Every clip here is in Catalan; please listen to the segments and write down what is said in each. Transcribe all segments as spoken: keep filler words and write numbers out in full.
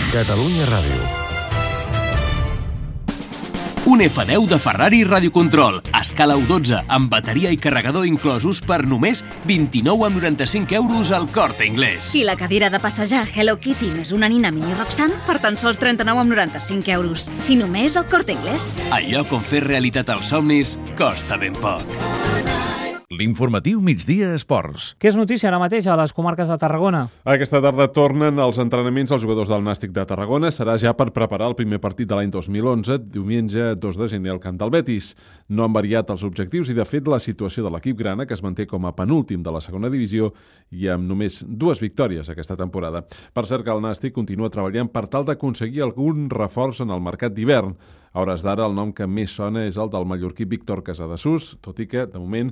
Catalunya Ràdio. Un efa deu de Ferrari Radiocontrol, a escala U dotze, amb bateria i carregador inclosos per només vint-i-nou coma noranta-cinc euros al Corte Inglés. I la cadira de passejar Hello Kitty més una nina mini Roxanne per tan sols trenta-nou coma noranta-cinc euros. I només al Corte Inglés. Allò com fer realitat els somnis costa ben poc. L'informatiu Migdia Esports. Què és notícia ara mateix a les comarques de Tarragona? Aquesta tarda tornen els entrenaments als jugadors del Nàstic de Tarragona. Serà ja per preparar el primer partit de l'any dos mil onze, diumenge dos de gener al camp del Betis. No han variat els objectius i, de fet, la situació de l'equip grana, que es manté com a penúltim de la segona divisió i amb només dues victòries aquesta temporada. Per cert que el Nàstic continua treballant per tal d'aconseguir algun reforç en el mercat d'hivern. A hores d'ara, el nom que més sona és el del mallorquí Víctor Casadesús, tot i que, de moment,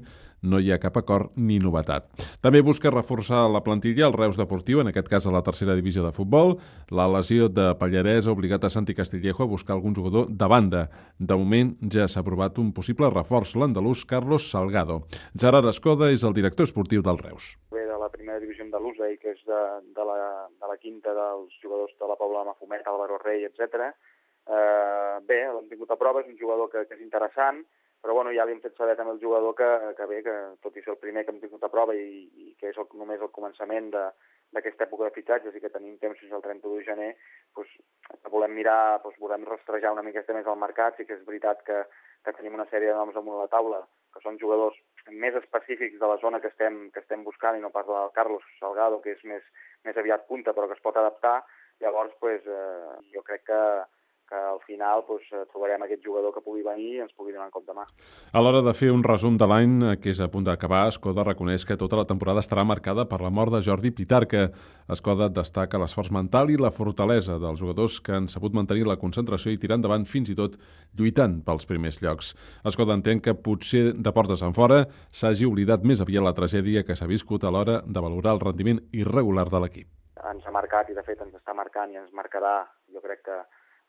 no hi ha cap acord ni novetat. També busca reforçar la plantilla el Reus Deportiu, en aquest cas a la tercera divisió de futbol. La lesió de Pallarès ha obligat a Santi Castillejo a buscar algun jugador de banda. De moment ja s'ha aprovat un possible reforç, l'andalús Carlos Salgado. Gerard Escoda és el director esportiu del Reus. Ve de la primera divisió andalusa i que és de, de, la, de la quinta dels jugadors de la Pobla de Mafumet, Álvaro Rey, etcètera. Uh, bé, l'hem tingut a prova, és un jugador que, que és interessant, però bueno, ja li hem fet saber també el jugador que, que bé, que tot i ser el primer que hem tingut a prova i, i que és el, només el començament d'aquesta època de fitxatges i que tenim temps fins al trenta-u de gener, doncs, volem mirar, doncs, volem rastrejar una miqueta més al mercat. Sí que és veritat que, que tenim una sèrie de noms damunt la taula, que són jugadors més específics de la zona que estem, que estem buscant, i no pas del Carlos Salgado, que és més, més aviat punta, però que es pot adaptar. Llavors, doncs, eh, jo crec que que al final doncs, trobarem aquest jugador que pugui venir i ens pugui donar en compte mà. A l'hora de fer un resum de l'any que és a punt d'acabar, Escoda reconeix que tota la temporada estarà marcada per la mort de Jordi Pitarca. Escoda destaca l'esforç mental i la fortalesa dels jugadors que han sabut mantenir la concentració i tirar endavant fins i tot lluitant pels primers llocs. Escoda entén que potser de portes enfora s'hagi oblidat més aviat la tragèdia que s'ha viscut a l'hora de valorar el rendiment irregular de l'equip. Ens ha marcat i de fet ens està marcant i ens marcarà, jo crec que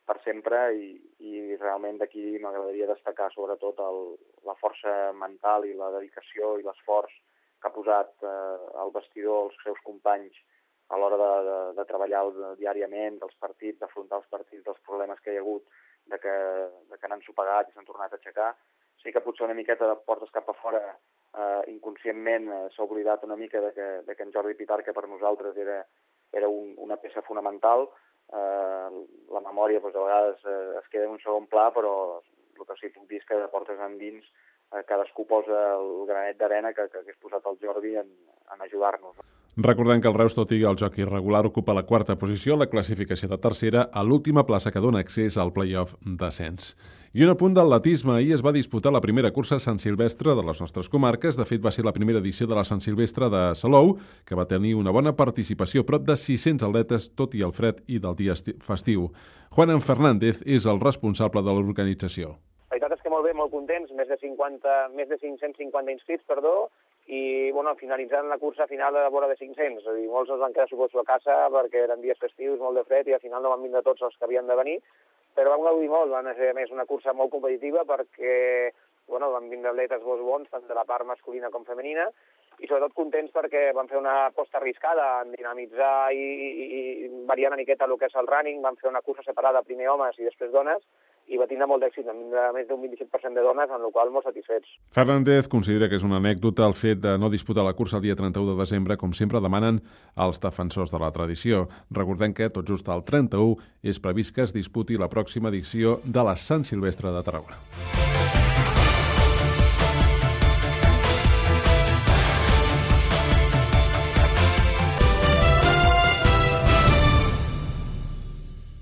per sempre, i, i realment d'aquí m'agradaria destacar sobretot el, la força mental i la dedicació i l'esforç que ha posat eh, el vestidor, els seus companys, a l'hora de, de, de treballar diàriament, dels partits, d'afrontar els partits, dels problemes que hi ha hagut, de que, de que n'han sopegat i s'han tornat a aixecar. Sí que potser una miqueta de portes cap a fora, eh, inconscientment eh, s'ha oblidat una mica de que, de que en Jordi Pitarca per nosaltres era, era un, una peça fonamental. Uh, la memòria doncs, a vegades uh, es queda en un segon pla, però el que sí que puc dir és que de portes endins uh, cadascú posa el granet d'arena que, que hagués posat el Jordi en, en ajudar-nos. Recordem que el Reus, tot i el joc irregular, ocupa la quarta posició, la classificació de tercera, a l'última plaça que dona accés al play-off d'ascens. I un apunt d'atletisme. Ahir es va disputar la primera cursa a Sant Silvestre de les nostres comarques. De fet, va ser la primera edició de la Sant Silvestre de Salou, que va tenir una bona participació, prop de sis-cents atletes, tot i el fred i del dia festiu. Juan Fernández és el responsable de l'organització. La veritat és que molt bé, molt contents, més de, cinquanta, més de cinc-cents cinquanta inscrits, perdó, i bueno, finalitzant la cursa final a la vora de cinc-cents. És a dir, molts els van quedar, suposo, a casa perquè eren dies festius, molt de fred, i al final no van vindre tots els que havien de venir, però vam gaudir molt. Van ser, a més, una cursa molt competitiva perquè bueno, van vindre atletes molt bons, tant de la part masculina com femenina, i sobretot contents perquè van fer una aposta arriscada en dinamitzar i, i, i variar una miqueta el que és el running. Van fer una cursa separada, primer homes i després dones, i va tindre molt d'èxit, amb més d'un vint-i-set per cent de dones, en el qual molt satisfets. Fernández considera que és una anècdota el fet de no disputar la cursa el dia trenta-u de desembre, com sempre demanen els defensors de la tradició. Recordem que tot just el trenta-u és previst que es disputi la pròxima edició de la Sant Silvestre de Tarragona.